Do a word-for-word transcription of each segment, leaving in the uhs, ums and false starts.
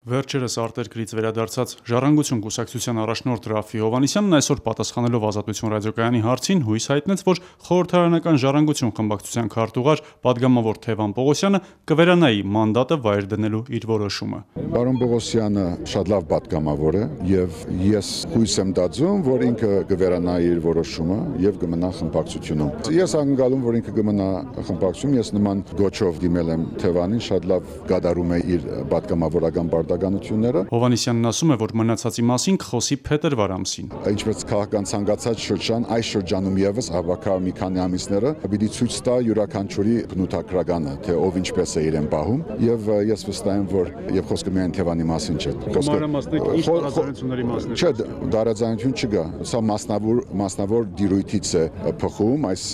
Վերջերս արտերկրից վերադարձած Ժառանգություն կուսակցության առաջնորդ Ռաֆֆի Հովհաննիսյանն այսօր պատասխանելով Ազատություն ռադիոկայանի հարցին հույս հայտնեց, որ խորհրդարանական Ժառանգություն խմբակցության քարտուղար պատգամավոր Թևան Պողոսյանը կվերանայի մանդատը վայր դնելու իր որոշումը։ Պարոն Պողոսյանը շատ լավ պատգամավոր է եւ ես հույս եմ տածում, որ ինքը կվերանայի իր որոշումը եւ կմնա խմբակցությունում։ Ես ակնկալում, որ ինքը կմնա խմբակցությունում, ես նման գոչով դիմել եմ Թևանին, շատ լավ գադարում է իր պատգամավորական Հովհաննիսյանն ասում է, որ մնացածի մասին կխոսի փետրվար ամսին։ Ինչպես քաղաքական ցանկացած շրջան, այս շրջանում եւս հավաքա մի քանի ամիսները պիտի ցույց տա յուրաքանչյուրի բնութագրականը, թե ով ինչպես է իրեն պահում, եւ ես վստահ եմ, որ եւ խոսքը միայն Թևանի մասին չէ։ Մանրամասնիկ ինչ տարաձայնությունների մասին է։ Չէ, տարաձայնություն չկա։ Սա մասնավոր մասնավոր դիրույթից է փխում այս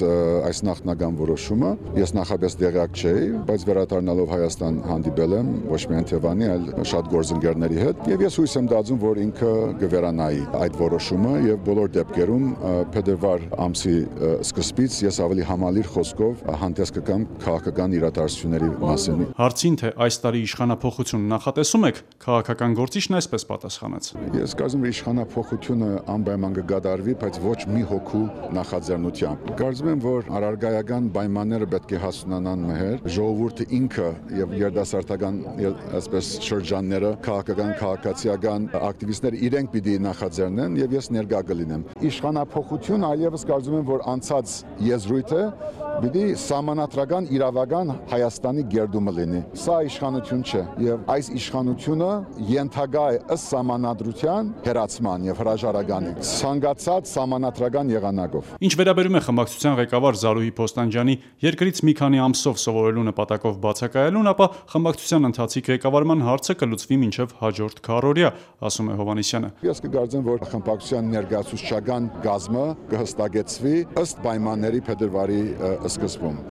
այս նախնական որոշումը։ Ես նախապես դեղյակ չէի, բայց վերադառնալով Հայաստան հանդիպել եմ ոչ միայն Թևանի, այլ շատ գործընկերների հետ եւ ես հույս եմ տածում, որ ինքը կվերանայի այդ որոշումը եւ բոլոր դեպքերում փետրվար ամսի սկզբից ես ավելի համալիր խոսքով հանդես կգամ քաղաքական իրադարձությունների մասին։ Հարցին, թե այս տարի իշխանափոխություն նախատեսում եք, քաղաքական գործիչն այսպես պատասխանեց. Ես կարծում եմ իշխանափոխությունը անպայման կգադարվի, բայց ոչ մի հոգու նախաձեռնությամբ։ Կարծում եմ, որ առարգայական պայմանները պետք է հասունանան մեհեր, ժողովուրդը ինքը եւ երիտասարդական այսպես շրջանները, քաղաքական, քաղաքացիական ակտիվիստները իրենք պիտի նախաձեռնեն եւ ես ներկա կլինեմ։ Իշխանափոխություն այլևս կարծում եմ, որ անցած եզրույթ է, պիտի սահմանադրական իրավական Հայաստանի գերդումը լինի։ Սա իշխանություն չէ եւ այս իշխանությունը ենթակա է ըստ սահմանադրության հերացման եւ հրաժարականի ցանկացած սահմանադրական եղանակով։ Ինչ վերաբերում է խմբակցության ղեկավար Զարուհի Փոստանջյանի երկրից մի քանի ամսով սովորելու նպատակով բացակայելուն, ապա խմբակցության ընթացիկ ղեկավարման հարցը կլուծվի մինչև հաջորդ քառօրյա, ասում է Հովհաննիսյանը։ Ես կգարձեմ, որ խմբակցության ներկայացուցչական գազմը կհստակեցվի ըստ պայմանների փետրվարի սկզբում։